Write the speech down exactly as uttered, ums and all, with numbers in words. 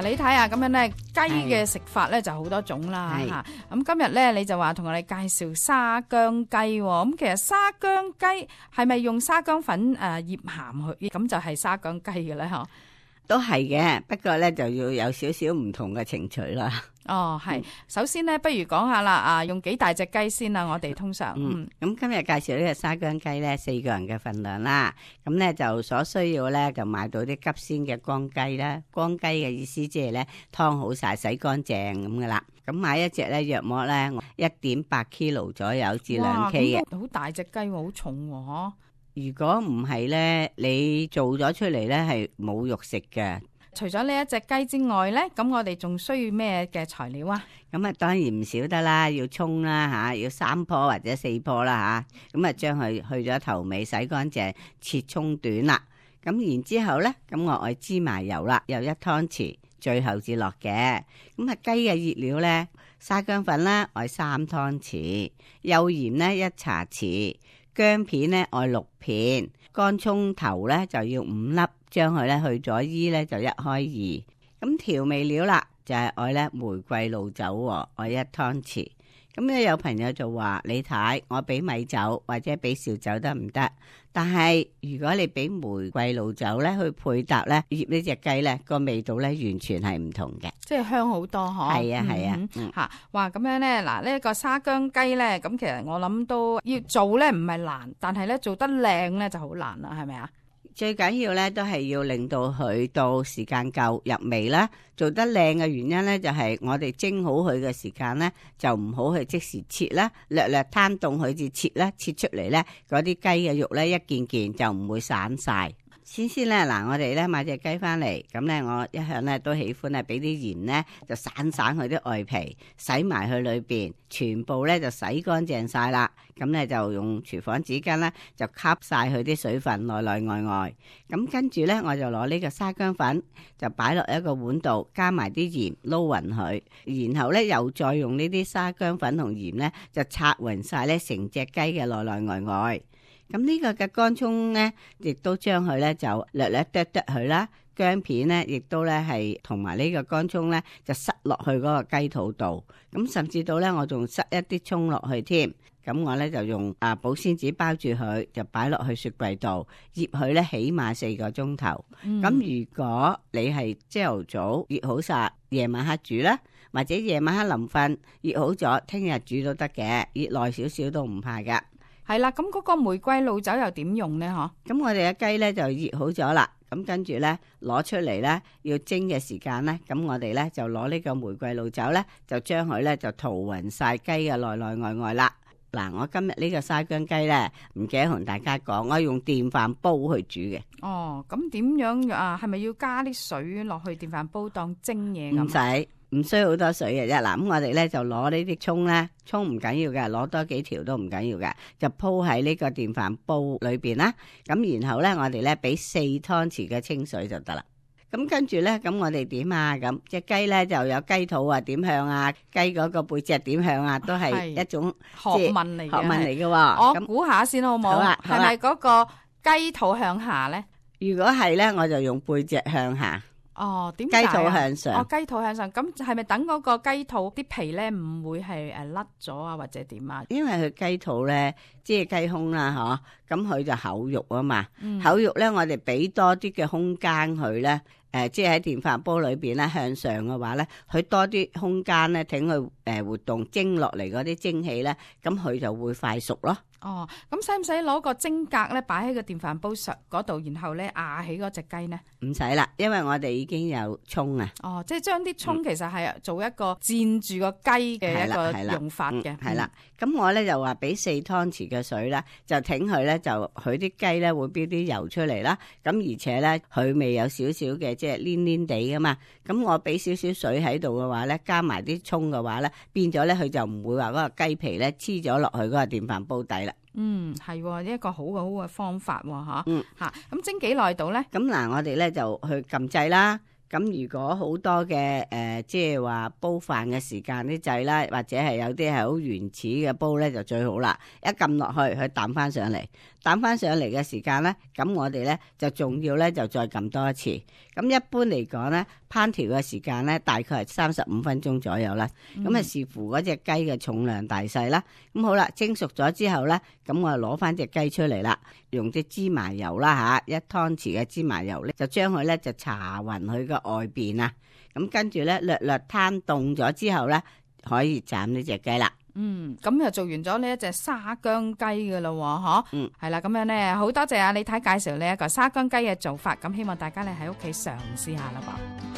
嗱，你睇下咁樣咧，雞嘅食法咧就好多種啦嚇。咁今日咧你就話同我哋介紹沙姜雞喎。咁其實沙姜雞係咪用沙姜粉誒醃鹹去，咁就係沙姜雞嘅咧？嗬，都係嘅，不過咧就要有少少唔同嘅程序啦。哦，係。首先咧，不如講下啦，啊，用幾大隻雞先啊？我哋通常嗯，咁今日介紹呢個沙姜雞咧，四個人嘅份量啦。咁咧就所需要咧，就買到啲急鮮嘅光雞啦。光雞嘅意思即係咧劏好晒、洗乾淨咁噶啦。咁買一隻咧，約莫咧一點八 kilo 左右至兩 K 嘅。好大隻雞喎，好重喎，嗬。如果唔係咧，你做咗出嚟咧係冇肉食嘅。除咗呢一隻雞之外咧，咁我哋仲需要咩嘅材料啊？咁啊，當然唔少得啦，要葱啦吓，要三棵或者四棵啦吓。咁啊，將佢去咗頭尾，洗乾淨，切葱短啦。咁然之後咧，咁我愛芝麻油啦，又一湯匙，最後至落嘅。咁啊，雞嘅熱料咧，沙姜粉啦，愛三湯匙，幼鹽咧一茶匙，薑片咧愛六片，乾葱頭咧就要五粒。將佢咧去咗衣咧就一開二，咁調味料啦就係愛咧玫瑰露酒，愛一湯匙。咁咧有朋友就話：李太，我俾米酒或者俾紹酒得唔得？但係如果你俾玫瑰露酒咧去配搭咧醃呢隻雞咧，個味道咧完全係唔同嘅，即係香好多嗬。係啊係啊，吓、嗯嗯、哇咁樣咧，嗱、這、呢個沙姜雞咧，咁其實我諗都要做咧唔係難，但係咧做得靚咧就好難啦，係咪啊？最緊要咧都係要令到佢到時間夠入味啦，做得靚嘅原因咧就係我哋蒸好佢嘅時間咧就唔好去即時切啦，略略攤凍佢至切啦，切出嚟咧嗰啲雞嘅肉咧一件件就唔會散晒。先先咧，嗱，我哋咧買隻雞翻嚟，咁咧我一向咧都喜歡咧俾啲鹽咧就散散佢啲外皮，洗埋去裏邊，全部咧就洗乾淨晒啦。咁咧就用廚房紙巾咧就吸晒佢啲水分內內外外。咁跟住咧我就攞呢個沙姜粉就擺落一個碗度，加埋啲鹽撈匀佢，然後咧又再用呢啲沙姜粉同鹽咧就擦匀晒咧成隻雞嘅內內外外。咁呢個嘅乾葱咧，亦都將佢咧就略略剁剁佢啦，薑片咧，亦都咧係同埋呢個乾葱咧，就塞落去嗰個雞肚度。咁甚至到咧，我仲塞一啲葱落去添。咁我咧就用啊保鮮紙包住佢，就擺落去雪櫃度醃佢咧，起碼四個鐘頭。咁、嗯、如果你係朝頭早醃好晒，夜晚黑煮啦，或者夜晚黑臨瞓醃好咗，聽日煮都得嘅，醃耐少少都唔怕噶。係啦，咁嗰個玫瑰露酒又點用呢？嗬，咁我哋嘅雞咧就醃好咗啦，咁跟住咧攞出嚟咧要蒸嘅時間咧，咁我哋咧就攞呢個玫瑰露酒咧，就將佢咧就塗勻晒雞嘅內內外外啦。嗱，我今日呢個沙姜雞咧，唔記得同大家講，我用電飯煲去煮嘅。哦，咁點樣啊？係咪要加啲水落去電飯煲當蒸嘢咁？唔使。唔需要好多水嘅啫，嗱，咁我哋咧就攞呢啲葱咧，葱唔緊要嘅，攞多幾條都唔緊要嘅，就鋪喺呢個電飯煲裏邊啦。咁然後咧，我哋咧俾四湯匙嘅清水就得啦。咁跟住咧，咁我哋點啊？咁隻雞咧就有雞肚啊點向啊，雞嗰個背脊點向啊，都係一種學問嚟嘅。學問嚟嘅。我估下先好唔好？係咪嗰個雞肚向下咧？如果係咧，我就用背脊向下。哦，點解？雞肚向上。哦，雞肚向上，咁係咪等嗰個雞肚啲皮咧唔會係誒甩咗啊，或者點啊？因為佢雞肚咧，即係雞胸啦，嗬，咁佢就厚肉啊嘛，嗯、厚肉咧，我哋俾多啲嘅空間佢咧，誒、呃，即係喺電飯煲裏邊咧向上嘅話咧，佢多啲空間咧，等佢誒活動蒸落嚟嗰啲蒸氣咧，咁佢就會快熟咯。哦，咁使唔使攞個蒸格咧擺喺個電飯煲上嗰度，然後咧壓起嗰隻雞呢？唔使啦，因為我哋已經有葱啊。哦，即係將啲葱其實係做一個煎住個雞嘅一個用法嘅。係啦，咁、嗯、我咧就話俾四湯匙嘅水啦，就挺佢咧，就佢啲雞咧會飆啲油出嚟啦。咁而且咧佢未有少少嘅即係黏黏地噶嘛。咁我俾少少水喺度嘅話咧，加埋啲葱嘅話咧，變咗咧佢就唔會話嗰個雞皮咧黐咗落去嗰個電飯煲底啦。嗯，係一個好嘅好嘅方法喎，吓，嗯，吓，咁蒸幾耐到咧？咁嗱，我哋咧就去撳掣啦。咁如果好多嘅誒，即係話煲飯嘅時間啲掣啦，或者係有啲係好原始嘅煲咧，就最好啦。一撳落去，佢彈翻上嚟，彈翻上嚟嘅時間咧，咁我哋咧就仲要咧就再撳多一次。咁一般嚟講咧，烹調嘅時間咧大概係三十五分鐘左右啦。咁啊、嗯、視乎嗰隻雞嘅重量大細啦。咁好啦，蒸熟咗之後咧，咁我就攞翻隻雞出嚟啦，用啲芝麻油啦吓，一湯匙嘅芝麻油咧，就將佢咧就搽勻佢個外邊啊。咁跟住咧略略攤凍咗之後咧，可以斬呢隻雞啦。嗯，咁就做完咗呢一隻沙姜雞噶啦，嗬。嗯，係啦，咁樣咧，好多謝阿李太介紹呢一個沙姜雞嘅做法，咁希望大家咧喺屋企嘗試下啦噃。